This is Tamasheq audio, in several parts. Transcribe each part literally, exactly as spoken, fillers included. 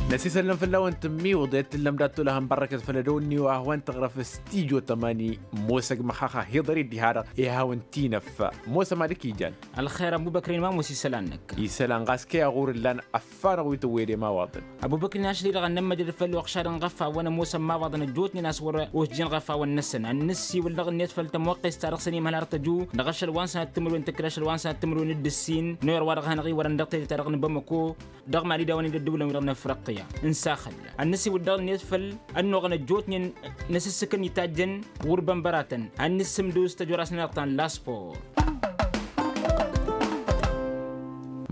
Năsisăllăm făll-a-wen tǝmmiwǝḍ i-ad-tǝllăm dat-tolăhăn bărrăkăt făll-ădăwănni wa hawăn-tăɣrăf s-tijo tămani. Mosăg măxaxa hiḍăr-i dd-iha-dăɣ i-hawăn-t-inăf. Mosăm ad-ǝkijăn. Ălxer ăbubăkrin ma mosi isălan-năk. Isălan ɣas kăy-aɣur ǝllan ăffanăɣ wi tăwwede imawaḍăn. Ăbubăkrin ašăl-i-dăɣ ad-nămmăjrăd făll-oɣšad n-iɣăfawăn ămoosăn imawaḍăn ăjjootnen a-s wăr-osjăn iɣăfawăn-năsăn ad-nǝssiwǝl dăɣ-net făll-tămoqqest-ta-dăɣ s-ănimhăl har tăju dăɣ-ašăl wa n-sănat timǝrwen tǝkkǝl ašăl wa n-sănat timǝrwen d-ǝssin n-orăy wa dăɣ-hanăɣ-iwărăn dăɣ-tejăt-ta-dăɣ n-bamăko. Dăɣ-mali d-a-wen-dd ăddǝwǝlăn-wi-dăɣ n-afriqya n-saxălla ad-nǝssiwǝl dăɣ-net făll-ănnuɣăn ăjjootnen n-asǝssǝkăn itajjăn. Wăr-bănbăratăn ad-nǝssǝmdǝw s-tăjora-s n-anăɣ ta n-laspor.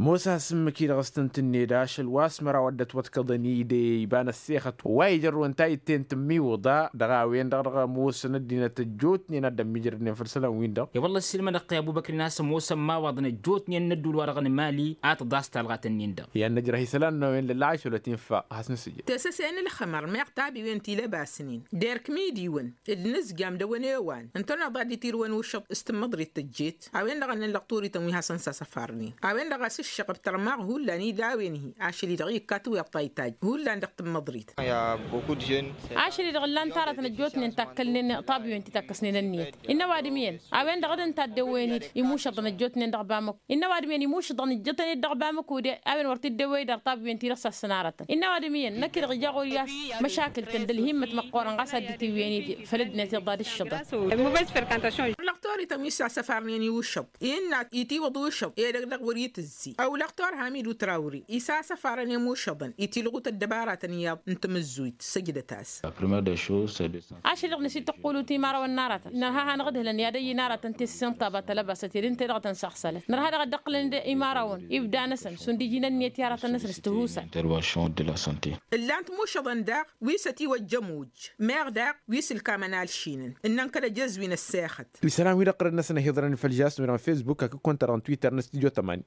Mosa s-ǝmmǝk-i-dăɣ s-tǝntǝnned ašăl wa s-măraw a dd-ătwăḍkăḍăn-i d-iba n-ăssexăt wa ijărrǝwăn tayǝtte n-tǝmmiwǝḍa dăɣ-a-wen-dăɣ dăɣ-ămoosăn ăddinăt ăjjootnen a dd-ămmiijrădnen făll-isălan-win-dăɣ. I-wălla ăssiilmădăɣ-t i-ăbubăkri n-a-s ămoosăn imawaḍăn ăjjootnen n-ădduul-wa-dăɣ n-imali a tǝḍas talɣat-nin-dăɣ. I-ad-năjrăh isălan-năwen lălla ašăl ătinfa. Has-nǝsǝjăd. Tesăse n-ǝlxǝmăr meɣ tabiwen ti lăbasnen d-erk imidǝwăn d-inǝzjam d-awăn ewan ǝntăneḍ ad-dd-itirǝwăn ušăḍ s-tǝmmăḍrit tăjjet. A-wen-dăɣ a ǝnnăn lăqtorităn wi hasăn-sasăfarnen a-wen-dăɣ a-s ǝššăɣăb tărmaɣ hullan i-dawăn-hi ašăl-i-dăɣ ikkatăw iṭṭa itajj hullan dăɣ-tǝmmăḍrit. Ašăl-i-dăɣ ǝllan-t aratăn ăjjootnen takkălnen tabǝwen ti takkăsnen ănniyăt. Innă ăwadǝm iyyăn a-wen-dăɣ d-ǝnta a dd-ewwăyăn-dd imušăḍăn ăjjootnen dăɣ-bamăko. Innă ăwadǝm iyyăn imušăḍăn ǝjjătăn-dd dăɣ-bamăko de a-wen wăr t-dd-ewwăy dăɣ-tabǝwen ti dăɣ-s ăssănarătăn. Innă ăwadǝm iyyăn năkk-i-dăɣ ija ɣur-i a-s măšakǝl-tăn d-ălhimmăt măqqoorăn ɣas ad-dd-tiwǝyăn-dd făll-ăddinăt iḍa d-ǝššăḍăn. Lăqtorităn wi s-asăfarnen i-ušăḍ innă itiwǝḍ ušăḍ edăgg-dăɣ wăr-itǝzzi ăwlăqtor hamidu trawri isasăfarăn i-imušăḍăn itilɣut ăddăbaratăn iyyăḍ n-tamǝzzuyt săjdăt-as. Ašăl-i-dăɣ năsittăqqulu timărawăn n-aratăn nărha hanăɣ-ǝdhǝlăn i-ad-ăyy n-aratăn tesǝsăn taba tălăbasăt ed ǝnta-i-dăɣ tăn-saɣsălăt nărha daɣ ad-dd-ăqqǝlăn d-imărawăn ibda-năsăn šund iji n-ănniyăt i-aratăn-năsăn s-tihusat. Ǝllan-t imušăḍăn daɣ wi s-ătiwăjjăm ujj meɣ daɣ wi s-ǝlkamăn alšinăn ǝnnăn kăl-ăjăzwi n-ăssexăt. Isălan-wi-dăɣ ɣărăn-năsăn a hi-iḍrăn făll-žas n-wi-dăɣ n-fesbuk hakd-kăwăn-ta-dăɣ n-twitter n-stujo tămani.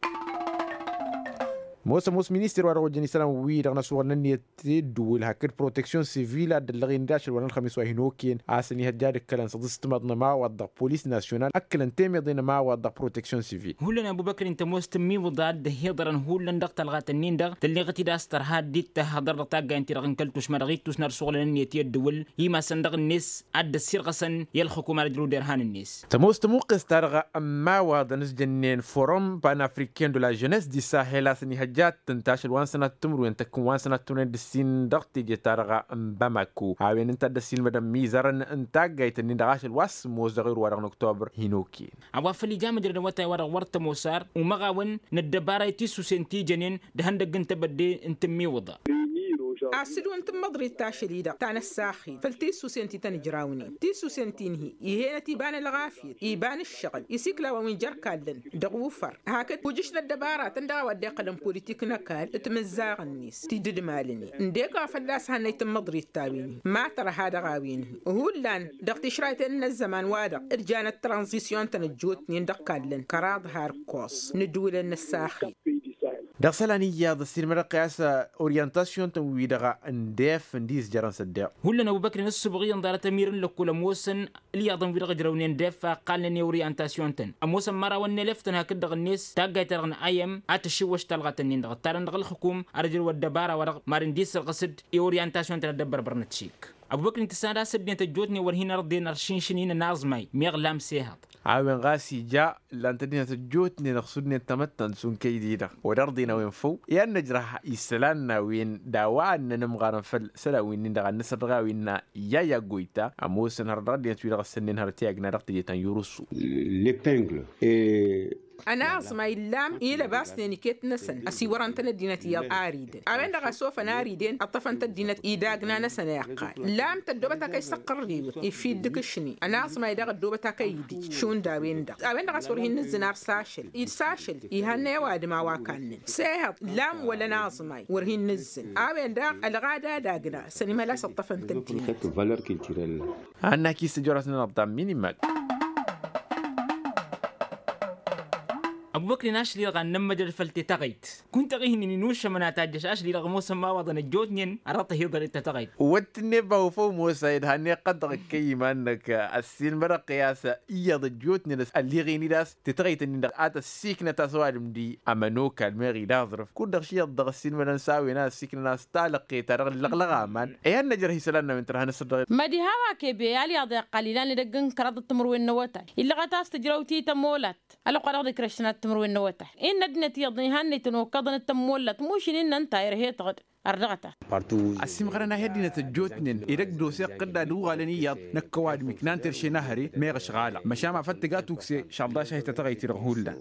Mosa mos minister wa dăɣ-ojăn isălan-wi-dăɣ n-asuɣăl n-ǝnniyăt teddǝwǝl hakd proteksyon sivil a dd-ăllăɣen d-ašăl wa n-ălxămis wa hin-okăyăn a-s ănihăjja d-ǝkkălăn s-aḍǝstǝmaḍ n-ămawaḍ dăɣ-polis nasyonal ǝkkǝlăn temăḍe n-ămawaḍ dăɣ-proteksyon sivil. Hullan ăbubăkri n-tămoos tǝmmiwǝḍa a dd-ăhiḍărăn hullan dăɣ-talɣat-ǝnnin-dăɣ tălleɣăt-dd a-s tărha dd-tahăḍăr dăɣ-taggayen-ti-dăɣ n-kăl-tušma dăɣ-ittus n-ad-suɣǝlăn ǝnniyăt i-ăddǝwǝl imasăn dăɣ-net ad-dd-ăssirɣăsăn i-ălxǝkum ad-ăjrăw derhan-net. Tămoos tămuqqes-ta-dăɣ ămmawaḍăn s-jănnen forum panafriken de la jeunesse di sahel a-s ănihăjja ad-tǝnt ašăl wa n-sănat timǝrwen tăkkǝn wa n-sănat timǝrwen d-ǝssin dăɣ-teje-ta-dăɣ n-bamako a-wen ǝnta a dd-ăssiilmădăn mizărăn n-taggayt-nin-dăɣ ašăl wa s-sǝmmos dăɣ-erwa-dăɣ n-oktober hin-okăyăn. A-wa făl ija măjrădăn awătay-wa-dăɣ wăr tămoos ar umăɣ-awăn n-ăddăbara i-tisusen ti jănen d-ihăndăgg n-tebădde n-tǝmmiwǝḍa. Asǝlǝw n-tǝmmăḍrit tašăl-i-dăɣ ta n-ăssaxil făll-tisusen ti tăn-ǝjrawnen tisusen ti n-hi-ihenăt iba n-ălɣafyăt iba n-ǝššăɣǝl isikla wa wi n-jer-kallăn dăɣ-ufăr hakd ujǝš n-ăddăbaratăn dăɣ-a-wa dd-iqqălăn politik n-ăkall timǝzzaɣ-net ti dd-malnen ǝndek a fălla-s hannăy tǝmmăḍrit ta-wen-hi ma tărha dăɣ-a-wen-hi hullan dăɣ-tišrayten n-ăzzăman-wa-dăɣ d-janăt tranzisyon-tăn ăjjootnen dăɣ-kallăn kăraḍ har ǝkkoẓ n-ǝddǝwǝlăn n-ăssaxil. Dăɣ-isălan iyyăḍ ăssiilmădăɣ-t i-a-s oryantasyon-tăn-wi-dăɣ n-def ǝndi s-jărăn s-ăddeɣ. Hullan ăbubăkri n-ǝssǝbɣiyăn ḍarăt ămir n-lăkkul ămoosăn ǝlyaḍăn-wi-dăɣ ǝjrăwnen def a ǝqqalnen i-oryantasyon-tăn ămoosăn imărawăn n-elef-tăn hakd-dăɣ-net taggayt-ta-dăɣ n-ayăm a tǝššiwwăš talɣat-nin-dăɣ ǝttarăn dăɣ-ǝlxǝkum ad-ăjrǝw ăddăbara-wa-dăɣ mad-ǝndi sărɣǝs-dd i-oryantasyon-tăn ad-dd-ăbbărbărnăt šik. Ăbubăkri n-tǝssan ad-asăddinăt ăjjootnen wăr hin-ărḍen ăršinšǝn-in ănaẓmay meɣ lam sehăḍ. A-wen ɣas ija ǝllan-t ăddinăt ăjjootnen ăɣsudnen tamăttant šund kăy-di-dăɣ wăr-ărḍen a-wen făw i-ad-nǝjrăh isălan n-a-wen d-a-wa ănnăn ǝmɣarăn făll-isălan-wi-nin-dăɣ ad-nǝsăr dăɣ-a-wen n-a yaya goyta ămoosăn har dăɣ-ăddinăt-wi-dăɣ ăssănnen hărăt i-agna dăɣ-teje ta n-yurusu. Ănaẓmay ǝllam ilăbasnen iket-năsăn ăsiwărăn-tăn ăddinăt iyyăḍ ariden a-wen-dăɣ a sofăn ariden ǝṭṭăfăn-t ăddinăt idagna-năsăn a iqqal lam tăddoobăt akăy s-tăqqărriwăt ifi dd-ǝkǝšni ănaẓmay daɣ ăddoobăt akăy idǝj šund a-wen-dăɣ a-wen-dăɣ a-s wăr hin-nǝzzǝn ar s-ašăl s-ašăl ihannăy ăwadǝm a-wa kannăn s-ehăḍ lam wăla ănaẓmay wăr hin-nǝzzǝn a-wen-dăɣ ălɣada d-agna sănimăla s-ǝṭṭăfăn-t ăddinăt. Annak isǝjjăr-asnăn ăḍḍam minimăk. Ăbubăkrin ašli-dăɣ ad-nămmăjrăd făll-tetăɣăyt kunta ɣihnin inušămăn a tajjăš ašli-dăɣ ămoosăn ma iwaḍăn ăjjootnen. Arăt ăhiḍăn d-tetăɣăyt. Wăt tǝnne ba wăfăw mosa ed hannăɣ-iqqăd dăɣ-ăkkăy iman-năk. Ăssiilmădăɣ-t i-a-s iyyăḍ ăjjootnen ălliɣen-dd a-s tetăɣăyt-ǝnnin-dăɣ a tăssiknăt a-s ăwadǝm d-i ămănokal meɣ idaẓrǝf kud-dăɣ ši iyyăḍ dăɣ-ăssiilmădăn s-a-wen a ăssiiknăn a-s talăqqe-ta-dăɣ ǝllăɣlăɣ aman. Ihăn năjrăh isălan n-a-wen tărha n-asăr dăɣ-e. Mădiha wa kebe alyaḍ iqqal ilan edăgg n-kăraḍăt timǝrwen n-awătay illăɣăt a-s tǝjrăw ti tămolat. Ălwăqq-wa-dăɣ d-ikrăššăn ad-timǝrwen n-awătay innă ăddinăt iyyăḍ ihannăy-tăn okăḍăn d-tămmolat mušin innă ǝnta irhe-tăɣ-dd. Ărdăɣăt-a. Ăssiimɣărăn a hi-ăddinăt ăjjootnen edăgg d-ose iqqǝd ad-uɣalăn iyyăḍ năkk ăwadǝm iknan terše n-ahăre. Meɣ ăšɣalăɣ măšan ma făl tǝga tukse šălḍaš a hi-tătăɣăyt-i-dăɣ hullan.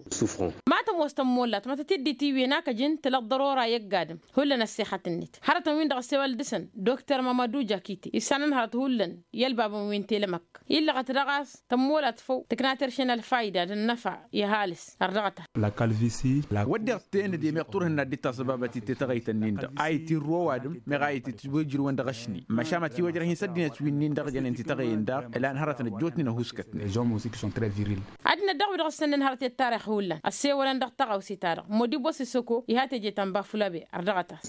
Ma tămoos tămmollat ma tăt-dd-itiwǝyăn a kăjăn tǝlăḍḍăr ora i-ăgg-adǝm. Hullan ăssexăt-net hărătăn-win-dăɣ ăssewăl dăɣ-săn dokter mamădu jakite issanăn hărăt hullan i-ălbabăn wi n-telămăkk. Illăɣăt daɣ a-s tămmolat făw tǝkna terše n-ălfayda d-ănnăfa. I-ăhalǝs ărdăɣăt-a. Wădden t-e-nǝdem iɣ turhǝnna dd-tasăbabăt i-tetăɣăyt-ǝnnin-dăɣ a itirru ăwadǝm meɣ a ititwejrǝwăn dăɣ-ašni măšan ma tiwăjrăh-in s-ăddinăt wi-nin-dăɣ jănen tetăɣăyăn daɣ. Ǝlan hărătăn ăjjootnen ăhuskătnen. Ad-năddăɣ wi-dăɣ ǝssănnăn hărăt i-ăttarix hullan ăssewălăn dăɣ-taɣawse-ta-dăɣ modibos isăko iha teje ta n-bafulabe. Ărdăɣăt-as.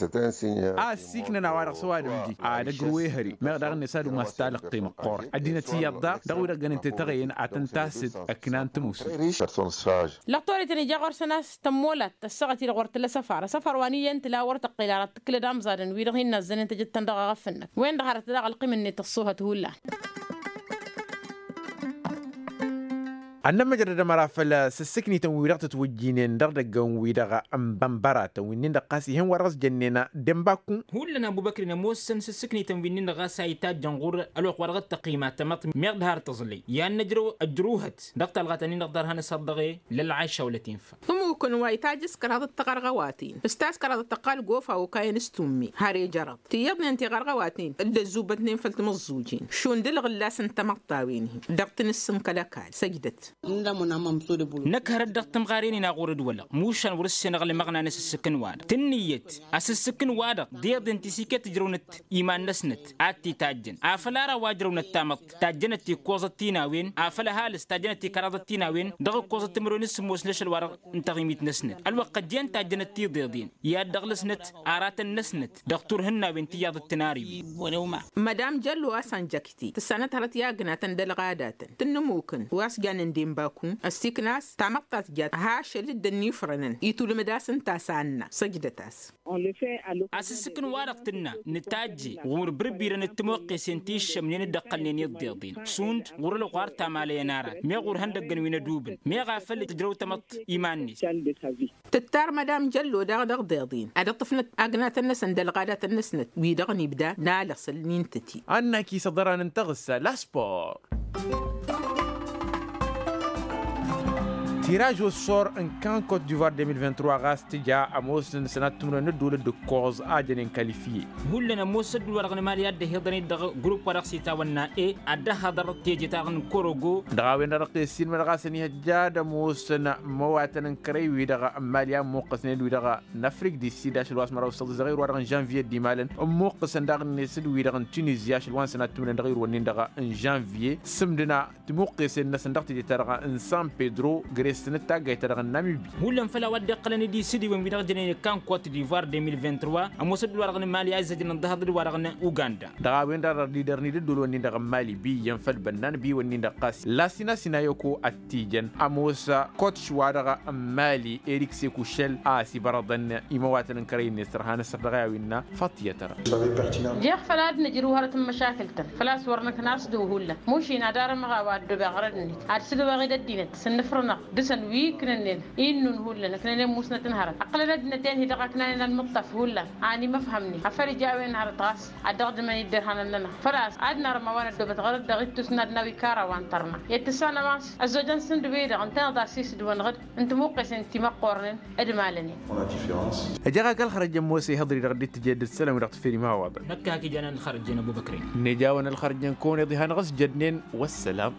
A ăssiiknăn a-wa-dăɣ s-ăwadǝm-di ad-ăgrǝw ehăre meɣ daɣ-net ad-umas talăqqe măqqoorăt ăddinăt iyyăḍ daɣ dăɣ-wi-dăɣ jănen tetăɣăyăn ad-tăn-tasǝd. Ǝknan tǝmusǝn. Lăqtoretăn ija ɣur-săn a-s tămmolat tăssăɣăt-i-dăɣ wăr tǝla asăfar asăfar wa n-iyyăn tǝla wăr tăqqel ara tǝkkǝlăd amẓadăn wi-dăɣ hin-nazzănen tejăt-tăn dăɣ-aɣăf-năk. Wen-dăɣ hărăt daɣ ălqim-net ăṣṣuhăt hullan. Ad-nămmăjrăd ămăra făll-sǝssǝknităn-wi-dăɣ tǝtwǝjjinen dăɣ-idăggăn-wi-dăɣ n-bănbăratăn wi-nin-dăɣ ɣas ih'-en wa dăɣ-s jănnen. Dănbakku. Hullan ăbubăkrin ămoosăn sǝssǝknităn wi-nin-dăɣ ɣas a itajjăn ɣur-ălwăqq wa dăɣ-t-tăqqima tamăḍt meɣ d-har tăẓlăy i-ad-năjrăw ăjruhăt dăɣ-talɣat-nin-dăɣ ḍarhan s-ad-dăɣ-e. Lălɣayša wăla tinfa. Ămukăn wa itajj s-kăraḍăt tiɣărɣăwaten s-taskăraḍăt tăqqal gofa okayăn s-tummi har ejărăḍ tiyyăḍnen tiɣărɣăwaten dd-ăzzubătnen făll-timǝẓẓujen šund ǝlɣǝllas n-tamăḍt a-wen-hi dăɣ-tinǝssǝn kăl-ăkall săjdăt. Năkk hărăt dăɣ-timɣaren-in a ɣur-dd-wălăɣ mušan wăr-ǝssenăɣ lămăɣna n-asǝssǝk n-wa-dăɣ tǝnnǝyăt asǝssǝk n-wa-dăɣ deḍen tisikket ǝjrăwnăt iman-năsnăt ad-t-itajjăn afăl ara wa ǝjrăwnăt tamăḍt tajjănăt tikkoẓăt ti n-a-wen afăl ăhalǝs tajjănăt tikăraḍăt ti n-a-wen dăɣ-ǝkkoẓăt timǝrwen s-sǝmmos n-ašăl wa-dăɣ n-taɣimit-năsnăt ălwăqq ăjjeen tajjănăt tiḍeḍen i-ad-dăɣ-lăsnăt aratăn-năsnăt dăɣ-turhǝnna a-wen tiyyăḍ d-tinariwen. Mădam jăllo a-s ănjăkte tǝssanăt hărăt i-agnatăn d-ălɣadatăn tǝnnǝmukǝn wa s-jannen denbaku ăssiikna a-s tamăḍt ta tǝjjat ha ašăl dd-ănnifrănăn itulǝmǝd-as ǝnta a-s anna săjdăt-as. Asǝssǝkǝn-wa-dăɣ tǝnna nǝtajje ɣur-bǝrbirăn d-timoqqesen ti ǝššămnen dd-ăqqălnen iḍḍeḍen šund ɣur-ălɣar tamalăyăn arat meɣ ɣur-ihăndăggăn wi n-ădubǝn meɣ a făl tǝjrăw tamăḍt iman-net. Tǝttar mădam jăllo daɣ dăɣ-deḍen ad-ǝṭṭǝfnăt agnatăn-năsăn d-ălɣadatăn-năsnăt wi-dăɣ n-ibda n-alăsăl n-intăti. Annak-i s-ăḍran n-taɣǝssa laspor. Tiraj osor n-kan kot divoir deux mille vingt-trois ɣas tǝja ămoosăn sănat timǝrwen n-ădduul d-ǝkkoẓ a jănen kalifye. Hullan ămoos ădduul-wa-dăɣ n-emali ad-dd-ăhiḍăn-dd dăɣ-grupp-wa-dăɣ s-itawănna e ad-dd-ăhhăḍăr teje-ta-dăɣ n-korogo. Dăɣ-a-wen-dăɣ ăqqes sinmădăɣ a-s ănihăjja ad-ămoosăn imăwatăn n-kărăy-wi-dăɣ n-imali a ǝmmuqqăsnen d-wi-dăɣ n-afrik di sid ašăl wa s-măraw s-tăḍiẓăɣ irwa-dăɣ n-žănviye d-imalăn ǝmmuqqăsăn daɣ-net d-wi-dăɣ n-tunizya ašăl wa n-sănat timǝrwen dăɣ-irwănnin-dăɣ n-žănviye sǝmdǝna timuqqesen-năsăn dăɣ-teje-ta-dăɣ n-san pedro gres-tăn d-taggayt-ta-dăɣ n-namibi. Hullan făll-a-wa dd-iqqălăn d-isidǝwen-wi-dăɣ jănen kankote d'ivoir deux mille vingt-trois ămoos ădduul-wa-dăɣ n-mali a izăjnăn d-ahăḍ ădduul-wa-dăɣ n-uganda. Dăɣ-a-wen-dăɣ dăr-dd-idărni d-ădduul-wen-in-dăɣ n-mali bi iyyăn făll-bănnan bi-wǝnnin-dăɣ ɣas lasina sina yoko ăttijăn ămoos kotš-wa-dăɣ n-mali erik sekušel a ăsibărăḍăn imăwatăn n-kărăy-net tărha n-asăr dăɣ-i a-winna. Faṭiyăt-ra. Jeɣ făl ad-nǝjrǝw hărăt n-măšakǝl-tăn făl-a-s wăr nǝkna a-s dăɣ-hullan mušin ad-armăɣ a-wa ăddobeɣ ɣărăd-net ad-sǝdăweɣ-dd ăddinăt s-ǝnnǝfrǝnăɣ dăɣ-săn wi ǝknănnen innun hullan ǝknănen musnăt n-hărăt ăqqălăn ăddinăt-en-hi-dăɣ ăknanen ălmǝṭṭaf hullan. Ani măfhămnen afăl ija a-wen hărăt ɣas ad-dăɣ-dd-măn-dd irhanăn-nănăɣ făl-a-s ad-nărmăwăn ăddoobăt ɣărăd dăɣ-ittus n-ad-nawi kara wa n-tărna i-ad-tǝssanăm a-s ăzzojăn s-ǝndǝwey-dăɣ ǝntăneḍ a-s isǝdwăn ɣǝd n-timǝqqesen timăqqornen d-imalăn-in. Ăjăɣ-ak ălxărăjăn mose ihăḍri-dăɣ dd-tǝjed d-isălan-wi-dăɣ tǝffer imawaḍăn. Năkk hak ija n-ălxărăjăn ăbubăkren. N-ejawăn ălxărăjăn kăwăn-iḍ ihăn ɣas jădnen. Wăssălam.